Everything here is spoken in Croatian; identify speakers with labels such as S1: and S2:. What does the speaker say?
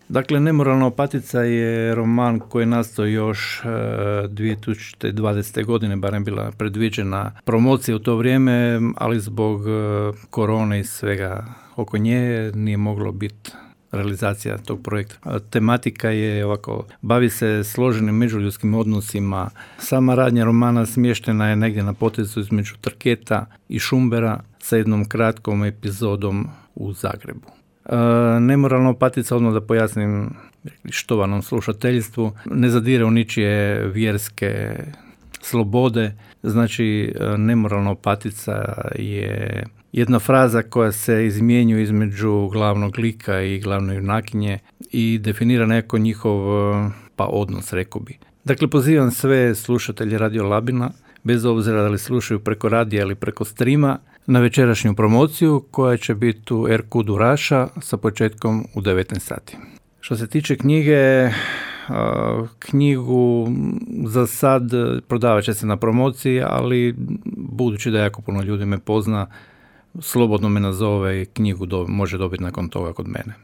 S1: Dakle, Nemoralna opatica je roman koji je nastao još 2020. godine, barem bila predviđena promocija u to vrijeme, ali zbog korone i svega oko nje nije moglo biti realizacija tog projekta. Tematika je ovako, bavi se složenim međuljudskim odnosima. Sama radnja romana smještena je negdje na potezu između Trketa i Šumbera sa jednom kratkom epizodom u Zagrebu. Nemoralna opatica, odmah da pojasnim štovanom slušateljstvu, ne zadire u ničije vjerske slobode. Znači, nemoralna opatica je jedna fraza koja se izmjenjuje između glavnog lika i glavne junakinje i definira neko njihov odnos, rekao bi. Dakle, pozivam sve slušatelje Radio Labina, bez obzira da li slušaju preko radija ili preko streama, na večerašnju promociju koja će biti u RQ Duraša sa početkom u 19 sati. Što se tiče knjige, knjigu za sad prodavat će se na promociji, ali budući da jako puno ljudi me pozna, slobodno me nazove i knjigu može dobiti nakon toga kod mene.